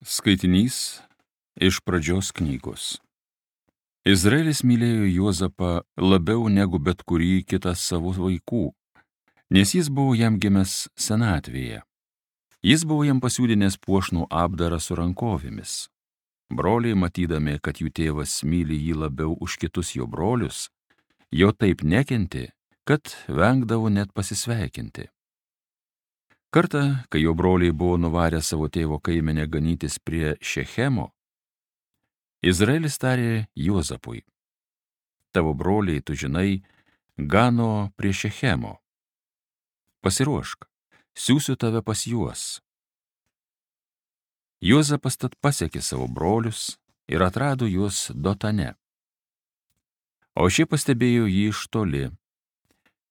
Skaitinys iš pradžios knygos. Izraelis mylėjo Juozapą labiau negu bet kurį kitą savo vaikų, nes jis buvo jam gimęs senatvėje. Jis buvo jam pasiūdinęs puošnų apdarą su rankovėmis. Broliai, matydami, kad jų tėvas myli jį labiau už kitus jo brolius, jo taip nekentė, kad vengdavo net pasisveikinti. Kartą, kai jo broliai buvo nuvarę savo tėvo kaimenę ganytis prie Šechemo, Izraelis tarė Juozapui: tavo broliai, tu žinai, gano prie Šechemo. Pasiruošk, siųsiu tave pas juos. Juozapas tad pasiekė savo brolius ir atrado juos Dotane. O šie pastebėjo jį iš toli.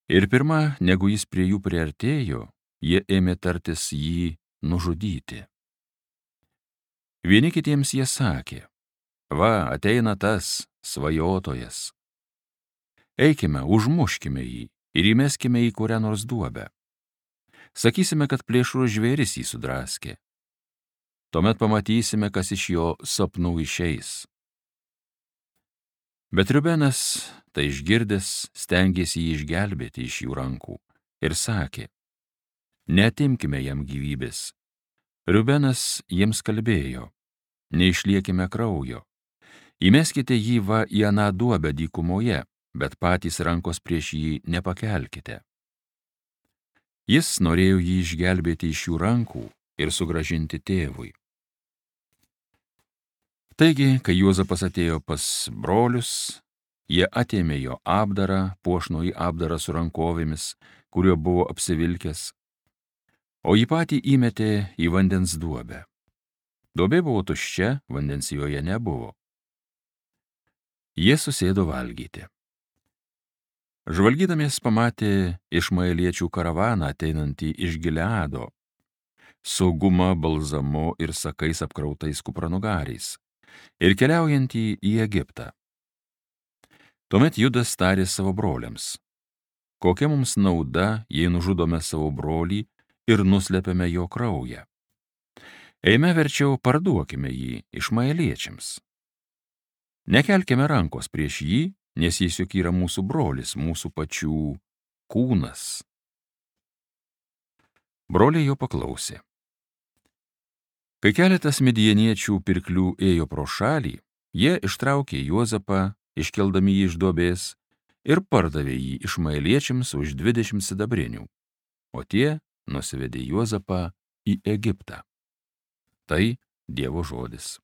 Ir pirma, negu jis prie jų priartėjo, jie ėmė tartis jį nužudyti. Vieni kitiems jie sakė: va, ateina tas svajotojas. Eikime, užmuškime jį ir įmeskime į kurią nors duobę. Sakysime, kad plėšrus žvėris jį sudraskė. Tuomet pamatysime, kas iš jo sapnų išeis. Bet Rubenas, tai išgirdęs, stengėsi jį išgelbėti iš jų rankų ir sakė: neatimkime jam gyvybės. Rubenas jiems kalbėjo: neišliekime kraujo. Įmeskite jį va į aną duobę dykumoje, bet patys rankos prieš jį nepakelkite. Jis norėjo jį išgelbėti iš jų rankų ir sugrąžinti tėvui. Taigi, kai Juozapas atėjo pas brolius, jie atėmė jo apdarą, puošnųjį apdarą su rankovėmis, kuriuo buvo apsivilkęs, o jį patį įmetė į vandens duobę. Duobė buvo tuščia, vandens joje nebuvo. Jie susėdo valgyti. Žvalgydamies pamatė išmaeliečių karavaną ateinantį iš Gileado, su guma, balzamu ir sakais apkrautais kupranugariais, ir keliaujantį į Egiptą. Tuomet Judas tarė savo broliams: kokia mums nauda, jei nužudome savo brolį ir nuslepiame jo kraują? Eime verčiau parduokime jį išmaeliečiams. Nekelkime rankos prieš jį, nes jis juk yra mūsų brolis, mūsų pačių kūnas. Broliai jo paklausė. Kai keletas midjaniečių pirklių ėjo pro šalį, jie ištraukė Juozapą, iškeldami jį iš duobės, ir pardavė jį išmaeliečiams už 20 sidabrinių, o tie nusivedė Juozapą į Egiptą. Tai Dievo žodis.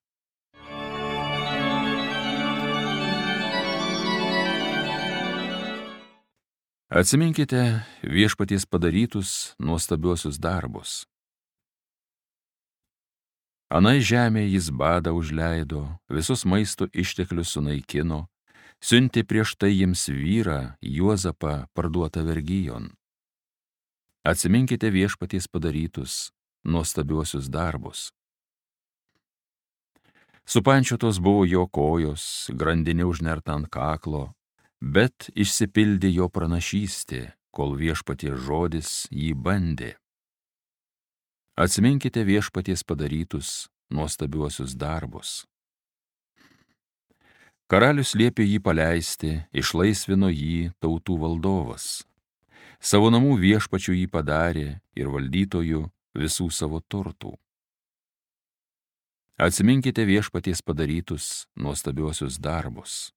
Atsiminkite viešpaties padarytus nuostabiuosius darbus. Anai žemė jis badą užleido, visus maisto išteklius sunaikino, siuntė prieš tai jiems vyrą, Juozapą, parduotą vergijon. Atsiminkite viešpaties padarytus nuostabiuosius darbus. Supančiotos buvo jo kojos, grandinė užnerta ant kaklo, bet išsipildė jo pranašystė, kol viešpaties žodis jį bandė. Atsiminkite viešpaties padarytus nuostabiuosius darbus. Karalius liepė jį paleisti, išlaisvino jį tautų valdovas. Savo namų viešpačiu jį padarė ir valdytojų visų savo turtų. Atsiminkite viešpaties padarytus nuostabiuosius darbus.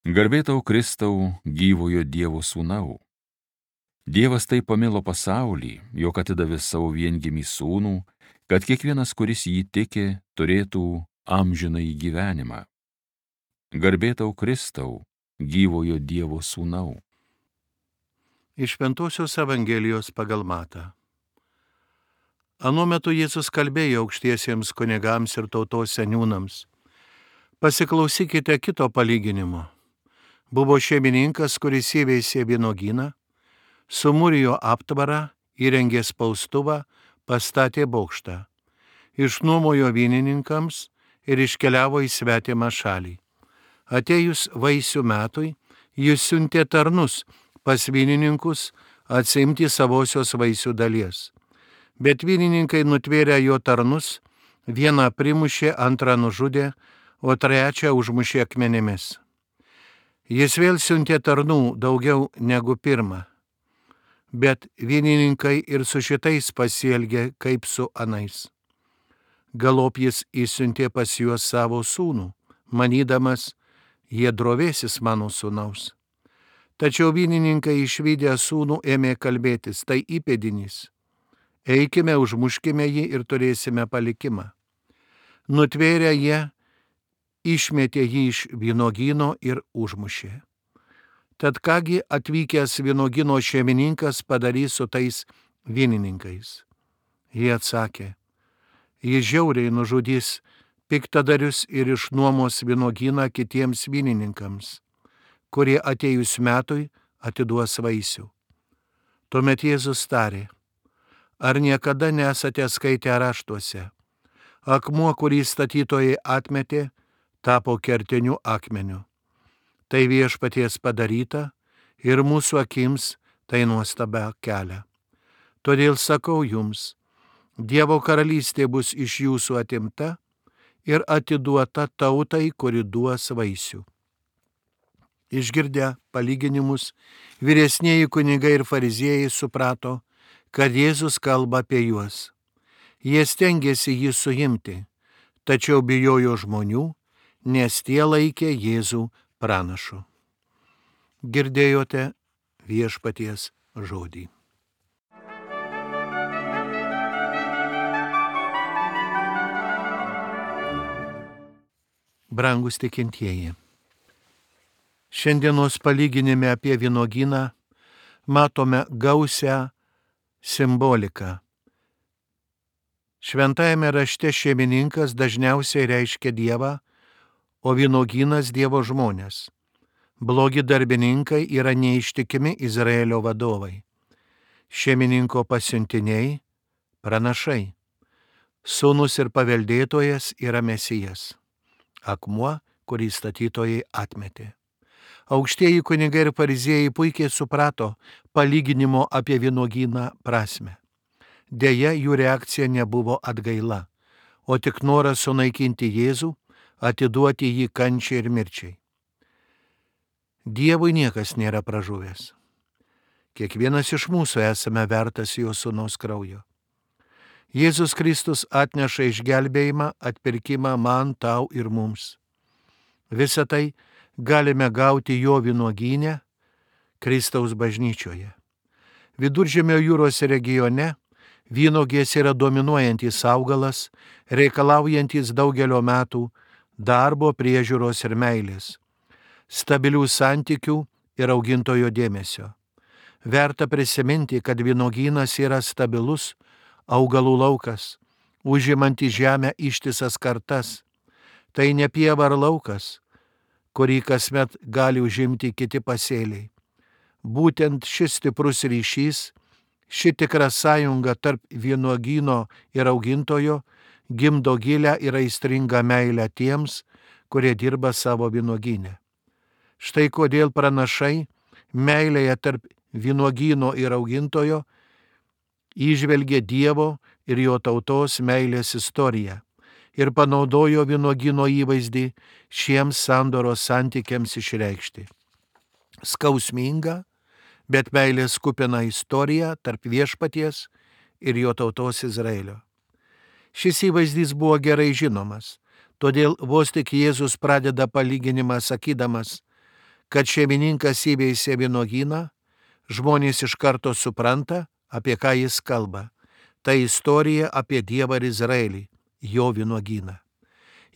Garbė tau, Kristau, gyvojo Dievo sūnau. Dievas taip pamilo pasaulį, jog atidavė savo viengimį sūnų, kad kiekvienas, kuris jį tiki, turėtų amžinąjį gyvenimą. Garbė tau, Kristau, gyvojo Dievo sūnau. Iš Šventosios Evangelijos pagal Matą. Anuo metu Jėzus kalbėjo aukštiesiems kunigams ir tautos seniūnams: pasiklausykite kito palyginimo. Buvo šeimininkas, kuris įveisė vynuogyną, sumūrijo aptvarą, įrengė spaustuvą, pastatė bokštą, išnuomojo vynininkams ir iškeliavo į svetimą šalį. Atėjus vaisių metui, jis siuntė tarnus pas vynininkus atsiimti savosios vaisių dalies. Bet vynininkai nutvėrę jo tarnus Vieną primušė, antrą nužudė, o trečią užmušė akmenimis. Jis vėl siuntė tarnų daugiau negu pirmą. Bet vynininkai ir su šitais pasielgė kaip su anais. Galop jis išsiuntė pas juos savo sūnų, manydamas, jie drovėsis mano sūnaus. Tačiau vynininkai išvydę sūnų ėmė kalbėtis, tai įpėdinis. Eikime, užmuškime jį ir turėsime palikimą. Nutvėrę jie, išmetė jį iš vynuogyno ir užmušė. Tad kągi atvykęs vynuogyno šeimininkas padarys su tais vynininkais? Jie atsakė, jis žiauriai nužudys piktadarius ir išnuomos vynuogyną kitiems vynininkams, kurie atėjus metui atiduos vaisių. Tuomet Jėzus tarė, ar niekada nesate skaitę raštuose? Akmuo, kurį statytojai atmetė, tapo kertiniu akmeniu. Tai Viešpaties padaryta ir mūsų akims tai nuostabą kelia. Todėl sakau jums, Dievo karalystė bus iš jūsų atimta ir atiduota tautai, kuri duos vaisių. Išgirdę palyginimus, vyresnieji kunigai ir fariziejai suprato, kad Jėzus kalba apie juos. Jie stengėsi jį suimti, tačiau bijojo žmonių, nes tie laikė Jėzų pranašu. Girdėjote Viešpaties žodį. Brangus tikintieji, šiandienos palyginime apie vynuogyną matome gausią simboliką. Šventajame rašte šeimininkas dažniausiai reiškia Dievą, o vynuogynas Dievo žmonės. Blogi darbininkai yra neištikimi Izraelio vadovai. Šeimininko pasiuntiniai – pranašai. Sūnus ir paveldėtojas yra Mesijas. Akmuo, kurį statytojai atmetė. Aukštieji kunigai ir fariziejai puikiai suprato palyginimo apie vynuogyną prasmę. Deja, jų reakcija nebuvo atgaila, o tik noras sunaikinti Jėzų, atiduoti jį kančiai ir mirčiai. Dievui niekas nėra pražuvęs. Kiekvienas iš mūsų esame vertas jo sūnaus kraujo. Jėzus Kristus atneša išgelbėjimą, atpirkimą man, tau ir mums. Visą tai galime gauti jo vynuogyne, Kristaus bažnyčioje. Viduržemio jūros regione vynuogės yra dominuojantis augalas, reikalaujantis daugelio metų darbo, priežiūros ir meilės, stabilių santykių ir augintojo dėmesio. Verta prisiminti, kad vynuogynas yra stabilus augalų laukas, užimanti žemę ištisas kartas. Tai ne pieva ar laukas, kurį kasmet gali užimti kiti pasėliai. Būtent šis stiprus ryšys, ši tikra sąjunga tarp vynuogyno ir augintojo gimdo gilią ir aistringą meilę tiems, kurie dirba savo vynuogyne. Štai kodėl pranašai meilėje tarp vynuogyno ir augintojo įžvelgė Dievo ir jo tautos meilės istoriją ir panaudojo vynuogyno įvaizdį šiems sandoros santykiams išreikšti. Skausminga, bet meilės kupina istorija tarp Viešpaties ir jo tautos Izraelio. Šis įvaizdis buvo gerai žinomas, todėl vos tik Jėzus pradeda palyginimą sakydamas, kad šeimininkas įveisė vynuogyną, žmonės iš karto supranta, apie ką jis kalba. Tai istorija apie Dievą ir Izraelį, jo vynuogyną.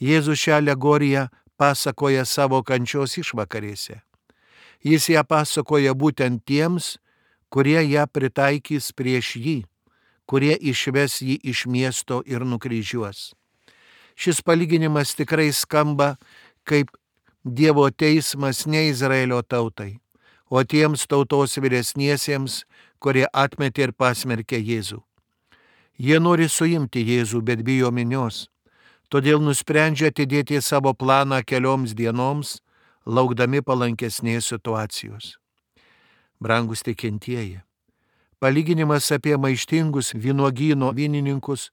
Jėzus šią alegoriją pasakoja savo kančios išvakarėse. Jis ją pasakoja būtent tiems, kurie ją pritaikys prieš jį, kurie išves jį iš miesto ir nukryžiuos. Šis palyginimas tikrai skamba kaip Dievo teismas ne Izraelio tautai, o tiems tautos vyresniesiems, kurie atmetė ir pasmerkė Jėzų. Jie nori suimti Jėzų, bet bijo minios, todėl nusprendžia atidėti savo planą kelioms dienoms, laukdami palankesnės situacijos. Brangus tikintieji, palyginimas apie maištingus vynuogyno vynininkus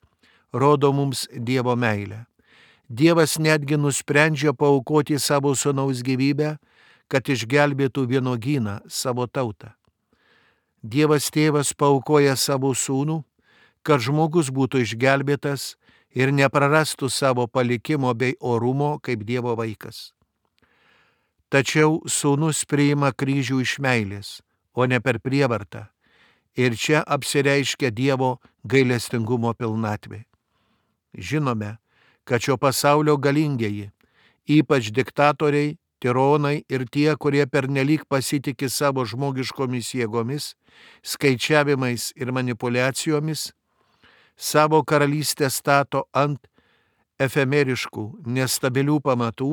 rodo mums Dievo meilę. Dievas netgi nusprendžia paaukoti savo sūnaus gyvybę, kad išgelbėtų vynuogyną, savo tautą. Dievas tėvas paaukoja savo sūnų, kad žmogus būtų išgelbėtas ir neprarastų savo palikimo bei orumo kaip Dievo vaikas. Tačiau sūnus priima kryžių iš meilės, o ne per prievartą. Ir čia apsireiškia Dievo gailestingumo pilnatvė. Žinome, kad šio pasaulio galingieji, ypač diktatoriai, tironai ir tie, kurie pernelyg pasitiki savo žmogiškomis jėgomis, skaičiavimais ir manipuliacijomis, savo karalystę stato ant efemeriškų, nestabilių pamatų,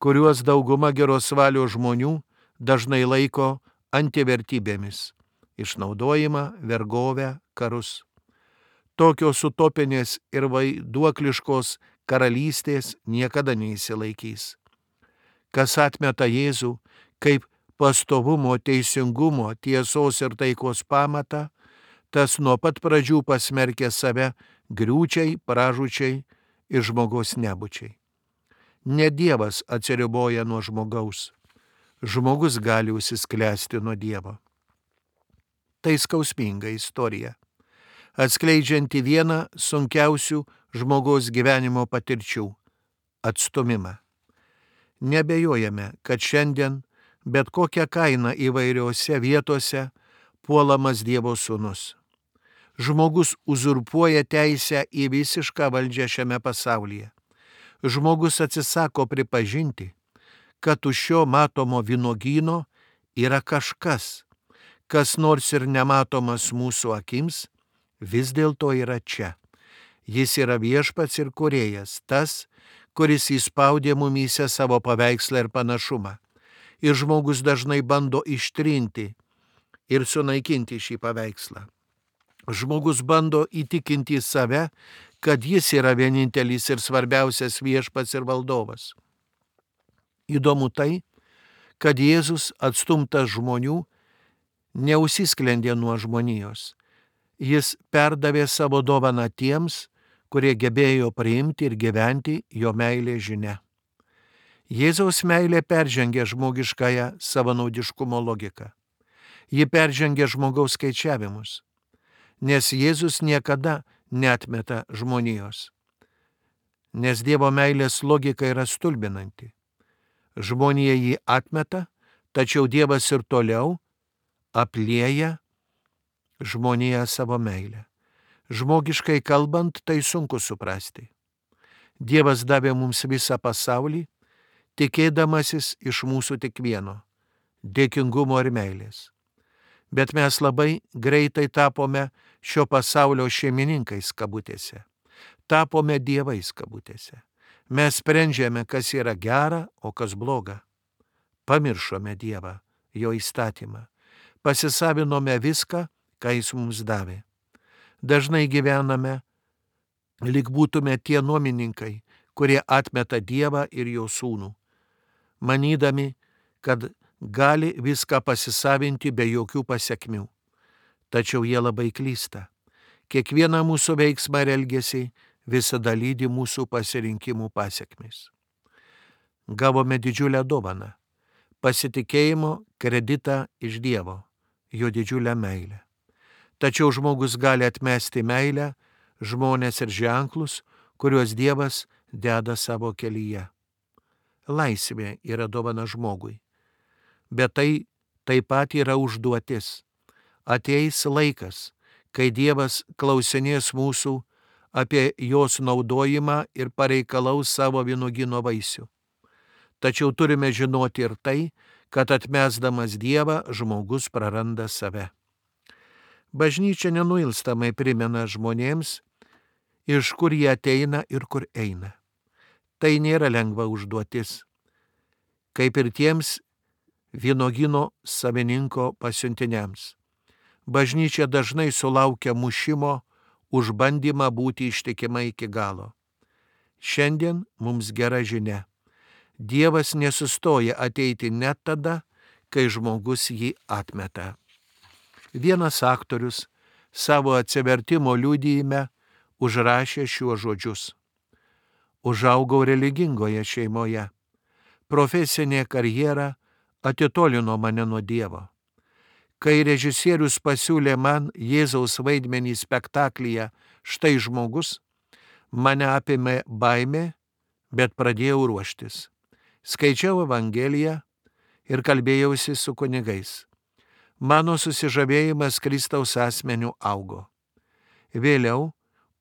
kuriuos dauguma geros valios žmonių dažnai laiko antivertybėmis - išnaudojimą, vergovę, karus. Tokios utopinės ir vaiduokliškos karalystės niekada neįsilaikys. Kas atmeta Jėzų kaip pastovumo, teisingumo, tiesos ir taikos pamatą, tas nuo pat pradžių pasmerkė save griūčiai, pražūčiai ir žmogaus nebūčiai. Ne Dievas atsiriboja nuo žmogaus. Žmogus gali užsisklęsti nuo Dievo. Tai skausminga istorija, atskleidžianti vieną sunkiausių žmogaus gyvenimo patirčių - atstumimą. Nebejojame, kad šiandien bet kokią kainą įvairiose vietose puolamas Dievo sūnus. Žmogus uzurpuoja teisę į visišką valdžią šiame pasaulyje. Žmogus atsisako pripažinti, kad už šio matomo vynuogyno yra kažkas, kas nors ir nematomas mūsų akims, vis dėlto yra čia. Jis yra viešpats ir kūrėjas, tas, kuris įspaudė mumyse savo paveikslą ir panašumą. Ir žmogus dažnai bando ištrinti ir sunaikinti šį paveikslą. Žmogus bando įtikinti save, kad jis yra vienintelis ir svarbiausias viešpats ir valdovas. Įdomu tai, kad Jėzus atstumtas žmonių neužsisklendė nuo žmonijos. Jis perdavė savo dovaną tiems, kurie gebėjo priimti ir gyventi jo meilės žinia. Jėzaus meilė peržengia žmogiškąją savanaudiškumo logiką. Ji peržengia žmogaus skaičiavimus, nes Jėzus niekada neatmeta žmonijos. Nes Dievo meilės logika yra stulbinanti. Žmonija jį atmeta, tačiau Dievas ir toliau aplieja žmoniją savo meilę. Žmogiškai kalbant, tai sunku suprasti. Dievas davė mums visą pasaulį, tikėdamasis iš mūsų tik vieno - dėkingumo ir meilės. Bet mes labai greitai tapome šio pasaulio šeimininkais kabutėse. Tapome dievais kabutėse. Mes sprendžiame, kas yra gera, o kas bloga. Pamiršome Dievą, jo įstatymą. Pasisavinome viską, ką jis mums davė. Dažnai gyvename, lyg būtume tie nuomininkai, kurie atmeta Dievą ir jo sūnų, manydami, kad gali viską pasisavinti be jokių pasekmių. Tačiau jie labai klysta. Kiekvieną mūsų veiksmą ir elgesį visada lydi mūsų pasirinkimų pasekmės. Gavome didžiulę dovaną - pasitikėjimo kreditą iš Dievo, jo didžiulę meilę. Tačiau žmogus gali atmesti meilę, žmones ir ženklus, kuriuos Dievas deda savo kelyje. Laisvė yra dovana žmogui, bet tai taip pat yra užduotis. Ateis laikas, kai Dievas klausinės mūsų apie jos naudojimą ir pareikalaus savo vynuogyno vaisių. Tačiau turime žinoti ir tai, kad atmesdamas Dievą žmogus praranda save. Bažnyčia nenuilstamai primena žmonėms, iš kur jie ateina ir kur eina. Tai nėra lengva užduotis, kaip ir tiems vynuogyno savininko pasiuntiniams. Bažnyčia dažnai sulaukia mušimo už bandymą būti ištikima iki galo. Šiandien mums gera žinia. Dievas nesustoja ateiti net tada, kai žmogus jį atmeta. Vienas aktorius savo atsivertimo liudijime užrašė šiuos žodžius. Užaugau religingoje šeimoje. Profesinė karjera atitolino mane nuo Dievo. Kai režisierius pasiūlė man Jėzaus vaidmenį spektaklyje Štai žmogus, mane apėmė baimė, bet pradėjau ruoštis. Skaičiau Evangeliją ir kalbėjausi su kunigais. Mano susižavėjimas Kristaus asmeniu augo. Vėliau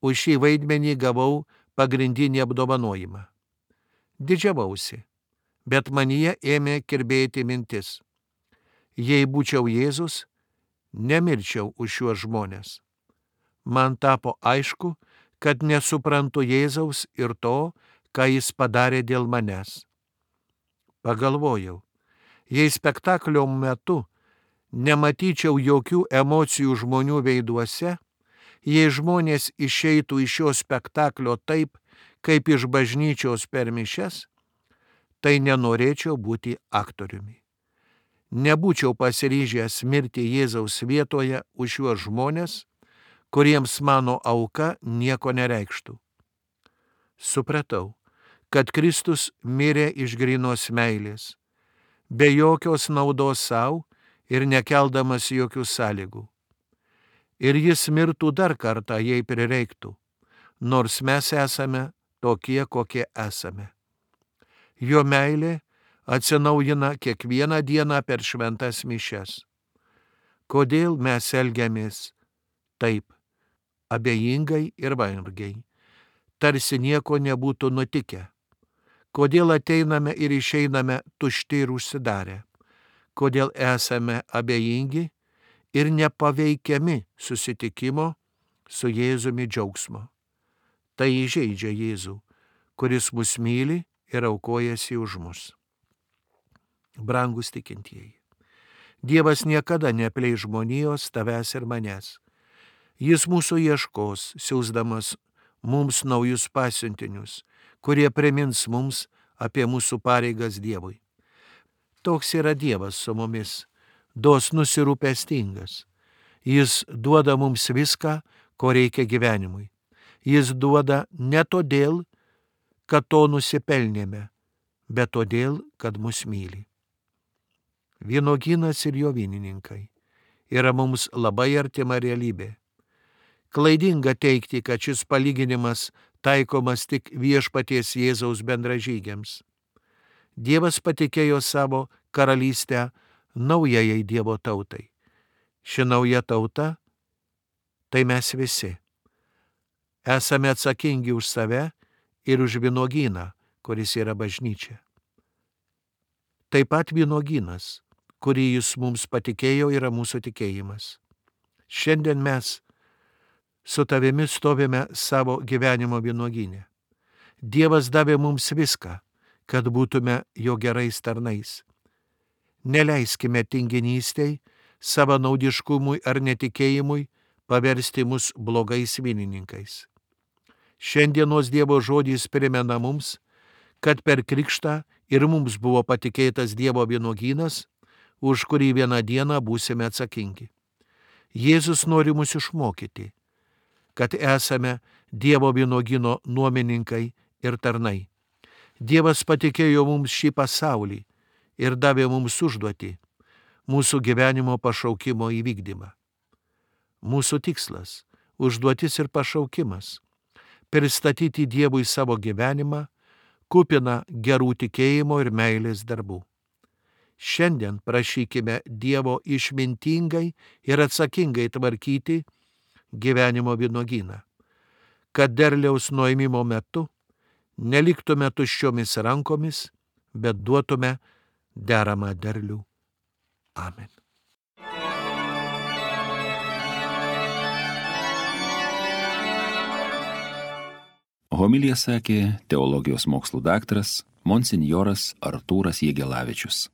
už šį vaidmenį gavau pagrindinį apdovanojimą. Didžiavausi, bet manyje ėmė kirbėti mintis. Jei būčiau Jėzus, nemirčiau už šiuos žmonės. Man tapo aišku, kad nesuprantu Jėzaus ir to, ką jis padarė dėl manęs. Pagalvojau, jei spektaklio metu nematyčiau jokių emocijų žmonių veiduose, jei žmonės išeitų iš šio spektaklio taip, kaip iš bažnyčios per mišias, tai nenorėčiau būti aktoriumi. Nebūčiau pasiryžęs mirti Jėzaus vietoje už šiuos žmonės, kuriems mano auka nieko nereikštų. Supratau, kad Kristus mirė iš grynos meilės, be jokios naudos savo ir nekeldamas jokių sąlygų. Ir jis mirtų dar kartą, jei prireiktų, nors mes esame tokie, kokie esame. Jo meilė atsinaujina kiekvieną dieną per šventas mišias. Kodėl mes elgiamės taip, abejingai ir vangiai, tarsi nieko nebūtų nutikę? Kodėl ateiname ir išeiname tušti ir užsidarę? Kodėl esame abejingi ir nepaveikiami susitikimo su Jėzumi džiaugsmo? Tai įžeidžia Jėzų, kuris mus myli ir aukojasi už mus. Brangus tikintieji, Dievas niekada neapleis žmonijos, tavęs ir manęs. Jis mūsų ieškos, siųsdamas mums naujus pasiuntinius, kurie primins mums apie mūsų pareigas Dievui. Toks yra Dievas su mumis, dosnus ir rūpestingas. Jis duoda mums viską, ko reikia gyvenimui. Jis duoda ne todėl, kad to nusipelnėme, bet todėl, kad mus myli. Vynuogynas ir jo vynininkai yra mums labai artima realybė. Klaidinga teigti, kad šis palyginimas taikomas tik Viešpaties Jėzaus bendražygiams. Dievas patikėjo savo karalystę naujajai Dievo tautai. Ši nauja tauta - tai mes visi. Esame atsakingi už save ir už vynuogyną, kuris yra bažnyčia. Taip pat vynuogynas, kurį jis mums patikėjo, yra mūsų tikėjimas. Šiandien mes su tavimi stovime savo gyvenimo vynuogyne. Dievas davė mums viską, kad būtume jo gerais tarnais. Neleiskime tinginystei, savanaudiškumui ar netikėjimui paversti mus blogais vynininkais. Šiandienos Dievo žodis primena mums, kad per krikštą ir mums buvo patikėtas Dievo vynuogynas, už kurį vieną dieną būsime atsakingi. Jėzus nori mus išmokyti, kad esame Dievo vynuogyno nuomininkai ir tarnai. Dievas patikėjo mums šį pasaulį ir davė mums užduotį mūsų gyvenimo pašaukimo įvykdymą. Mūsų tikslas, užduotis ir pašaukimas - pristatyti Dievui savo gyvenimą, kupiną gerų tikėjimo ir meilės darbų. Šiandien prašykime Dievo išmintingai ir atsakingai tvarkyti gyvenimo vynuogyną, kad derliaus nuėmimo metu neliktume tuščiomis rankomis, bet duotume deramą derlių. Amen. Homiliją sakė teologijos mokslų daktaras monsinjoras Artūras Jegelavičius.